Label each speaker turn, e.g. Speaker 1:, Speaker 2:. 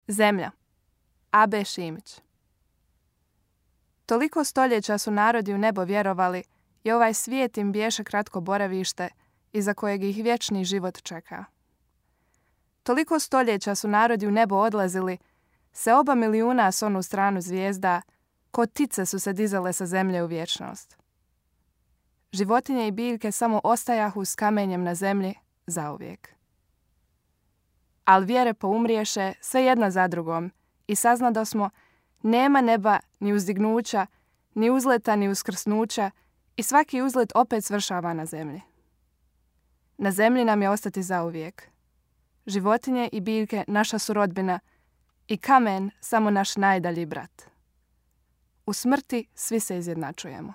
Speaker 1: Zemlja. A.B. Šimić. Toliko stoljeća su narodi u nebo vjerovali i ovaj svijet im biješe kratko boravište iza kojeg ih vječni život čeka. Toliko stoljeća su narodi u nebo odlazili, se oba milijuna s onu stranu zvijezda, ko ptice su se dizale sa zemlje u vječnost. Životinje i biljke samo ostajahu s kamenjem na zemlji zauvijek. Al vjere poumriješe sve jedna za drugom i saznadosmo nema neba ni uzdignuća, ni uzleta ni uskrsnuća i svaki uzlet opet svršava na zemlji. Na zemlji nam je ostati zauvijek. Životinje i biljke naša su rodbina i kamen samo naš najdalji brat. U smrti svi se izjednačujemo.